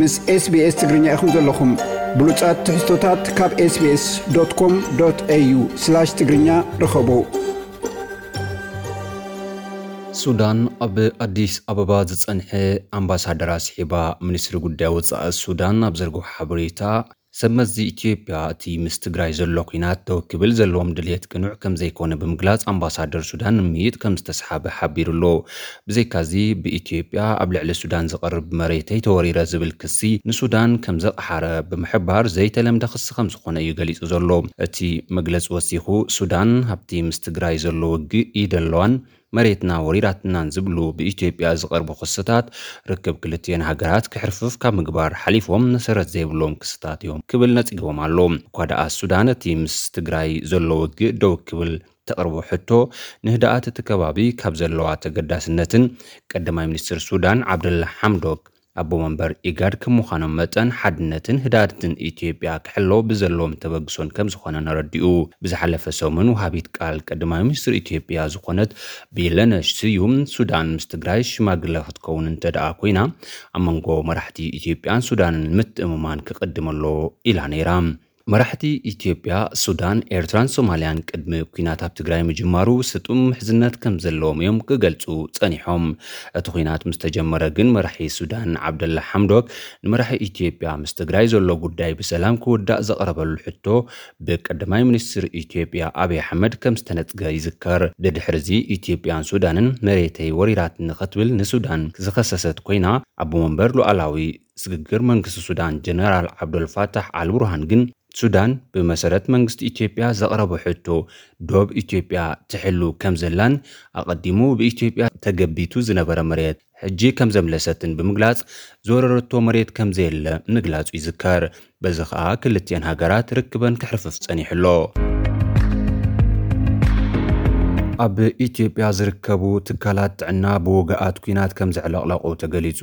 ምስ SBS ትግርኛ ኢኹም ዘለኹም። ብሉጻት ትሕዝቶታት ካብ SBS.com.au/ትግርኛ ርኸቡ። ሱዳን ኣብ ኣዲስ ኣበባ ዝጸንሐ ኣምባሳደር ኣስሒባ፣ ሚኒስትሪ ጉዳይ ወጻኢ ሱዳን ኣብ ዘርግሖ ሓበሬታ፣ ሰብ መዚ ኢትዮጵያ እቲ ምስ ትግራይ ዘሎ ኲናት ደው ክብል ዘለዎም ድልየት ቅኑዕ ከም ዘይኮነ ብምግላጽ፣ ኣምባሳደር ሱዳን ንምይጥ ከም ዝተስሓበ ሓቢሩ ኣሎ። ብዘይካዚ፣ ብኢትዮጵያ ኣብ ልዕሊ ሱዳን ዝቐርብ መሬተይ ተወሪረ ዝብል ክሲ ንሱዳን ከም ዘቕሓረ ብምሕባር፣ ዘይተለምደ ክሲ ከም ዝኾነ እዩ ገሊጹ ዘሎ። እቲ መግለጺ ወሲኹ፣ ሱዳን ኣብቲ ምስ ትግራይ ዘሎ ውግእ ኢድ ኣለዋን መሬትና ወሪራትናን ዝብሉ ብኢትዮጵያ ዝቐርቡ ክስታት፣ ርክብ ክልቲኤን ሃገራት ክሕርፍፍ ካብ ምግባር ሓሊፎም መሰረት ዘይብሎም ክስታት እዮም ክብል ነጺግዎም ኣሎ። እኳ ደኣ ሱዳን እቲ ምስ ትግራይ ዘሎ ውግእ ደው ክብል ተቕርቦ ሕቶ፣ ንህድኣት እቲ ከባቢ ካብ ዘለዋ ተገዳስነትን ቀዳማይ ሚኒስትር ሱዳን ዓብደላ ሓምዶክ ኣቦ መንበር ኢጋድ ከም ምዃኖም መጠን፣ ሓድነትን ህድኣትን ኢትዮጵያ ክሕሎ ብዘለዎም ተበግሶን ከም ዝኾነ ነረዲኡ። ብዝሓለፈ ሰሙን፣ ወሃቢት ቃል ቀዳማይ ሚኒስትር ኢትዮጵያ ዝኾነት ቢለነሽ ስዩም፣ ሱዳን ምስ ትግራይ ሽማግለ ክትከውን እንተ ደኣ ኮይና፣ ኣብ መንጎ መራሕቲ ኢትዮጵያን ሱዳንን ምትእምማን ክቕድም ኣሎ ኢላ ነይራ። መራሕቲ ኢትዮጵያ፣ ሱዳን፣ ኤርትራን ሶማልያን ቅድሚ ኲናት ኣብ ትግራይ ምጅማሩ ስጡም ምሕዝነት ከም ዘለዎም እዮም ክገልጹ ጸኒሖም። እቲ ኲናት ምስ ተጀመረ ግን፣ መራሒ ሱዳን ዓብደላ ሓምዶክ ንመራሒ ኢትዮጵያ ምስ ትግራይ ዘሎ ጉዳይ ብሰላም ክውዳእ ዘቕረበሉ ሕቶ ብቀዳማይ ሚኒስትር ኢትዮጵያ ኣብይ ኣሕመድ ከም ዝተነጽገ ይዝከር። ድድሕርዚ ኢትዮጵያን ሱዳንን መሬተይ ወሪራትኒ ክትብል ንሱዳን ዝኸሰሰት ኮይና፣ ኣቦ መንበር ሉዓላዊ ስግግር መንግስቲ ሱዳን ጀነራል ዓብደልፋታሕ ኣልቡርሃን ግን፣ ሱዳን ብመሰረት መንግስቲ ኢትዮጵያ ዘቕረቦ ሕቶ፣ ዶብ ኢትዮጵያ ትሕሉ ከም ዘላን ኣቐዲሙ ብኢትዮጵያ ተገቢቱ ዝነበረ መሬት ሕጂ ከም ዘምለሰትን ብምግላጽ፣ ዝወረረቶ መሬት ከም ዘየለ ምግላጹ ይዝከር። በዚ ኸኣ ክልቲኤን ሃገራት ርክበን ክሕርፍፍ ጸኒሑ ኣሎ። ኣብ ኢትዮጵያ ዝርከቡ ትካላት ጥዕና ብወግኣት ኲናት ከም ዘዕለቕለቑ ተገሊጹ።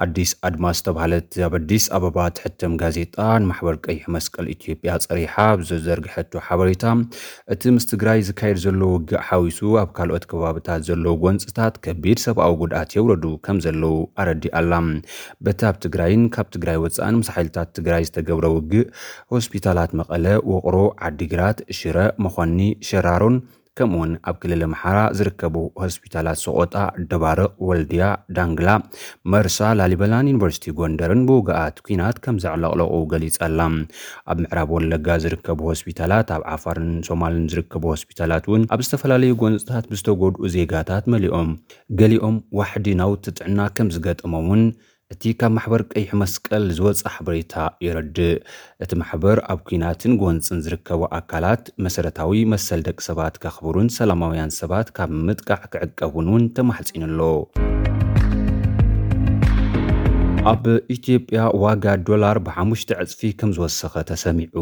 ኣዲስ ኣድማስ ዝተባህለት ኣብ ኣዲስ ኣበባ ትሕተም ጋዜጣ፣ ንማሕበር ቀይሕ መስቀል ኢትዮጵያ ጸሪሓ ኣብ ዘዘርግሐቶ ሓበሬታ፣ እቲ ምስ ትግራይ ዝካየድ ዘሎ ውግእ ሓዊሱ፣ ኣብ ካልኦት ከባብታት ዘለዉ ጎንጽታት ከቢድ ሰብኣዊ ጉድኣት የውረዱ ከም ዘለዉ ኣረዲኣ ኣላ። በቲ ኣብ ትግራይን ካብ ትግራይ ወጻእን ምስ ሓይልታት ትግራይ ዝተገብረ ውግእ፣ ሆስፒታላት መቐለ፣ ውቕሮ፣ ዓዲግራት፣ ሽረ፣ መኾኒ፣ ሸራሮን ከምኡውን ኣብ ክልል ኣምሓራ ዝርከቡ ሆስፒታላት ሰቆጣ፣ ደባርቕ፣ ወልድያ፣ ዳንግላ፣ መርሳ፣ ላሊበላን ዩኒቨርሲቲ ጎንደርን ብውግኣት ኲናት ከም ዘዕለቕለቑ ገሊጻ ኣላ። ኣብ ምዕራብ ወለጋ ዝርከቡ ሆስፒታላት፣ ኣብ ዓፋርን ሶማልን ዝርከቡ ሆስፒታላት እውን ኣብ ዝተፈላለዩ ጎንጽታት ብዝተጎድኡ ዜጋታት መሊኦም፣ ገሊኦም ዋሕዲ ናውቲ ጥዕና ከም ዝገጠሞም እውን እቲ ካብ ማሕበር ቀይሕ መስቀል ዝወጸ ሓበሬታ የረድእ። እቲ ማሕበር ኣብ ኲናትን ጎንጽን ዝርከቡ ኣካላት መሰረታዊ መሰል ደቂ ሰባት ከኽብሩን ሰላማውያን ሰባት ካብ ምጥቃዕ ክዕቀቡን እውን ተማሕጺኑ ኣሎ። ኣብ ኢትዮጵያ ዋጋ ዶላር ብሓሙሽተ ዕጽፊ ከም ዝወሰኸ ተሰሚዑ።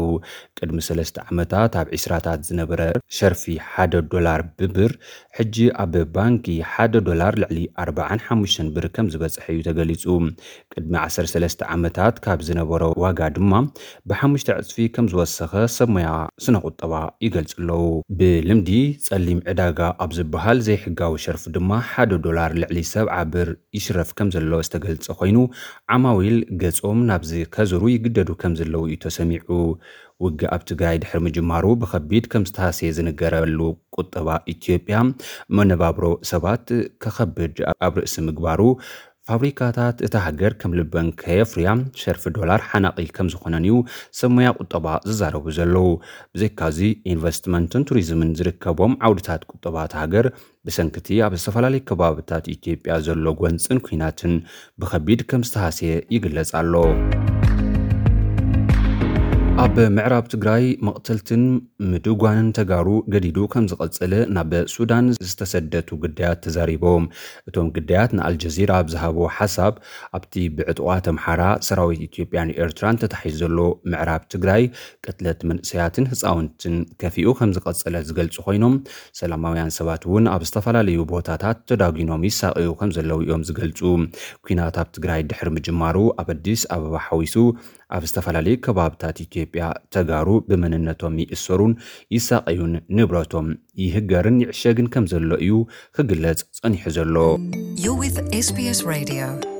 ቅድሚ ሰለስተ ዓመታት ኣብ ዒስራታት ዝነበረ ሸርፊ ሓደ ዶላር ብብር፣ ሕጂ ኣብ ባንኪ ሓደ ዶላር ልዕሊ ኣርባዓን ሓሙሽተን ብር ከም ዝበጽሐ እዩ ተገሊጹ። ቅድሚ ዓሰርተ ሰለስተ ዓመታት ካብ ዝነበሮ ዋጋ ድማ ብሓሙሽተ ዕጽፊ ከም ዝወሰኸ ሰብ ሞያ ስነ ቁጠባ ይገልጹ ኣለዉ። ብልምዲ ጸሊም ዕዳጋ ኣብ ዝበሃል ዘይሕጋዊ ሸርፊ ድማ ሓደ ዶላር ልዕሊ ሰብዓ ብር ይሽረፍ ከም ዘሎ ዝተገልጸ ኮይኑ፣ ዓማዊል ገጾም ናብዚ ከዝሩ ይግደዱ ከም ዘለዉ እዩ ተሰሚዑ። ውግእ ኣብ ትግራይ ድሕሪ ምጅማሩ ብኸቢድ ከም ዝተሃስየ ዝንገረሉ ቁጠባ ኢትዮጵያ፣ መነባብሮ ሰባት ከኸብድ ኣብ ርእሲ ምግባሩ፣ ፋብሪካታት እታ ሃገር ከም ልበን ከየፍርያ ሸርፊ ዶላር ሓናቒ ከም ዝኾነን እዩ ሰብ ሞያ ቁጠባ ዝዛረቡ ዘለዉ። ብዘይካዚ፣ ኢንቨስትመንትን ቱሪዝምን ዝርከቦም ዓውድታት ቁጠባ እታ ሃገር ብሰንክቲ ኣብ ዝተፈላለዩ ከባብታት ኢትዮጵያ ዘሎ ጎንጽን ኲናትን ብኸቢድ ከም ዝተሃስየ ይግለጽ ኣሎ። ኣብ ምዕራብ ትግራይ መቕተልትን ምድጓንን ተጋሩ ገዲዱ ከም ዝቐጸለ ናብ ሱዳን ዝተሰደቱ ግዳያት ተዛሪቦም። እቶም ግዳያት ንኣልጀዚራ ኣብ ዝሃብዎ ሓሳብ፣ ኣብቲ ብዕጡቓት ኣምሓራ ሰራዊት ኢትዮጵያን ኤርትራን ተታሒዙ ዘሎ ምዕራብ ትግራይ፣ ቅትለት መንእሰያትን ህፃውንትን ከፊኡ ከም ዝቐጸለ ዝገልጹ ኮይኖም፣ ሰላማውያን ሰባት እውን ኣብ ዝተፈላለዩ ቦታታት ተዳጒኖም ይሳቐዩ ከም ዘለዉ እዮም ዝገልጹ። ኲናት ኣብ ትግራይ ድሕሪ ምጅማሩ፣ ኣብ ኣዲስ ኣበባ ሓዊሱ ኣብ ዝተፈላለዩ ከባብታት ኢትዮጵያ ተጋሩ ብመንነቶም ይእሰሩን ይሳቐዩን፣ ንብረቶም ይህገርን ይዕሸግን ከም ዘሎ እዩ ክግለጽ ጸኒሑ ዘሎ። You're with SBS Radio.